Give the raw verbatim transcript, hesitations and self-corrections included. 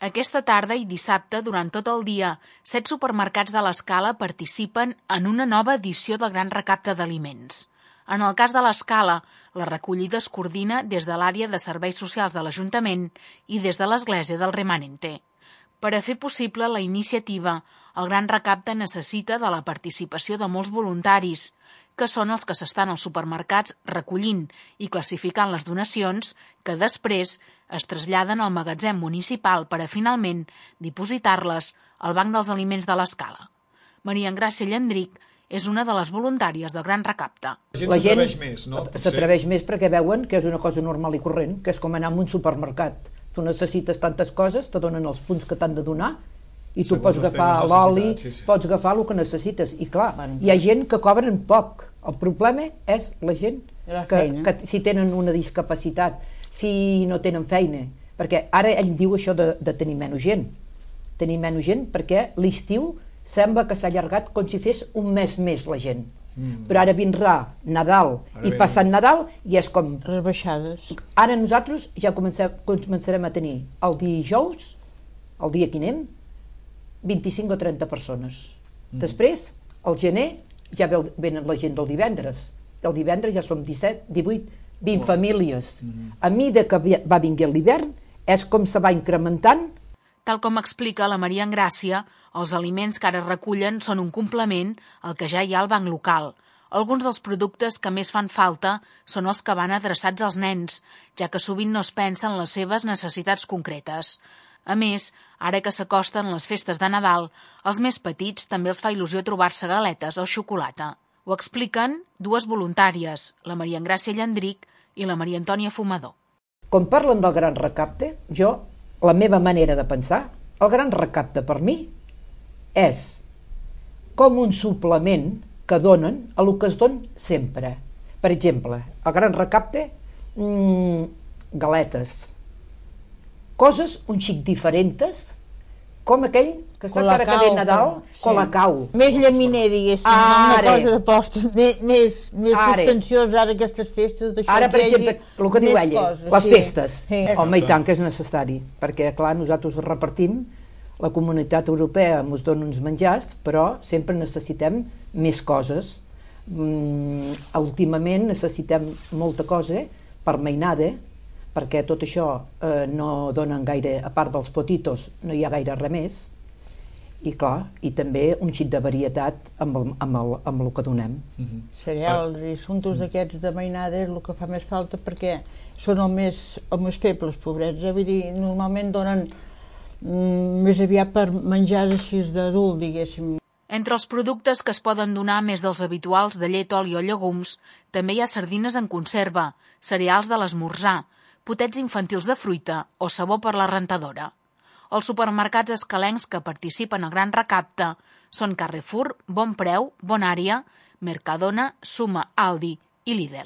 Aquesta tarda i dissabte, durant tot el dia, set supermercats de l'Escala participen en una nova edició del Gran Recapte d'Aliments. En el cas de l'Escala, la recollida es coordina des de l'àrea de serveis socials de l'Ajuntament i des de l'Església del Remanente. Per a fer possible la iniciativa, el Gran Recapte necessita de la participació de molts voluntaris, que són els que s'estan als supermercats recollint i classificant les donacions que després es traslladen al magatzem municipal per a finalment dipositar-les al Banc dels Aliments de l'Escala. Maria Engràcia Llandric és una de les voluntàries del Gran Recapte. La gent s'atreveix més, no? S'atreveix més perquè veuen que és una cosa normal i corrent, que és com anar a un supermercat. Tu necessites tantes coses, te donen els punts que t'han de donar, i tu pots agafar l'oli, sí, sí. pots agafar el que necessites. I clar, hi ha gent que cobren poc. El problema és la gent que, que si tenen una discapacitat, si no tenen feina. Perquè ara ell diu això de, de tenir menys gent. Tenir menys gent perquè l'estiu sembla que s'ha allargat com si fes un mes més la gent. Mm. Però ara vindrà Nadal ara i passant Nadal i és com... rebaixades. Ara nosaltres ja comencem, començarem a tenir el dijous, el dia que anem, vint-i-cinc o trenta persones. Mm. Després, al gener, ja venen la gent del divendres. El divendres ja som disset, divuit, vint oh. famílies. Mm. A mesura que va vinguent l'hivern, és com se va incrementant. Tal com explica la Maria Engràcia, els aliments que ara recullen són un complement al que ja hi ha al banc local. Alguns dels productes que més fan falta són els que van adreçats als nens, ja que sovint no es pensa en les seves necessitats concretes. A més, ara que s'acosten les festes de Nadal, als més petits també els fa il·lusió trobar-se galetes o xocolata. Ho expliquen dues voluntàries, la Maria Engràcia Llandric i la Maria Antònia Fumador. Quan parlen del Gran Recapte, jo, la meva manera de pensar, el Gran Recapte per mi és com un suplement que donen a el que es don sempre. Per exemple, el Gran Recapte, mmm, galetes, coses un xic diferents, com aquell que està cara que ve Nadal, sí. Colacau. Més llaminer, diguéssim, una cosa de postres, més, més, més substanciós ara aquestes festes. Ara, per exemple, el que diu ella, coses, les sí. festes. Sí. Home, i tant que és necessari, perquè, clar, nosaltres repartim, la comunitat europea ens dona uns menjars, però sempre necessitem més coses. Mm, últimament necessitem molta cosa per mainada, perquè tot això eh, no donen gaire, a part dels potitos, no hi ha gaire res més, i clar, i també un xic de varietat amb el, amb el, amb el que donem. Uh-huh. Cereals i assumptes d'aquests de mainada és el que fa més falta perquè són els més, els més febles, pobrets, eh? Vull dir, normalment donen mm, més aviat per menjar així d'adult, diguéssim. Entre els productes que es poden donar més dels habituals de llet, oli o llegums, també hi ha sardines en conserva, cereals de l'esmorzar, potets infantils de fruita o sabó per la rentadora. Els supermercats escalencs que participen al Gran Recapte són Carrefour, Bon Preu, Bonària, Mercadona, Suma, Aldi i Lidl.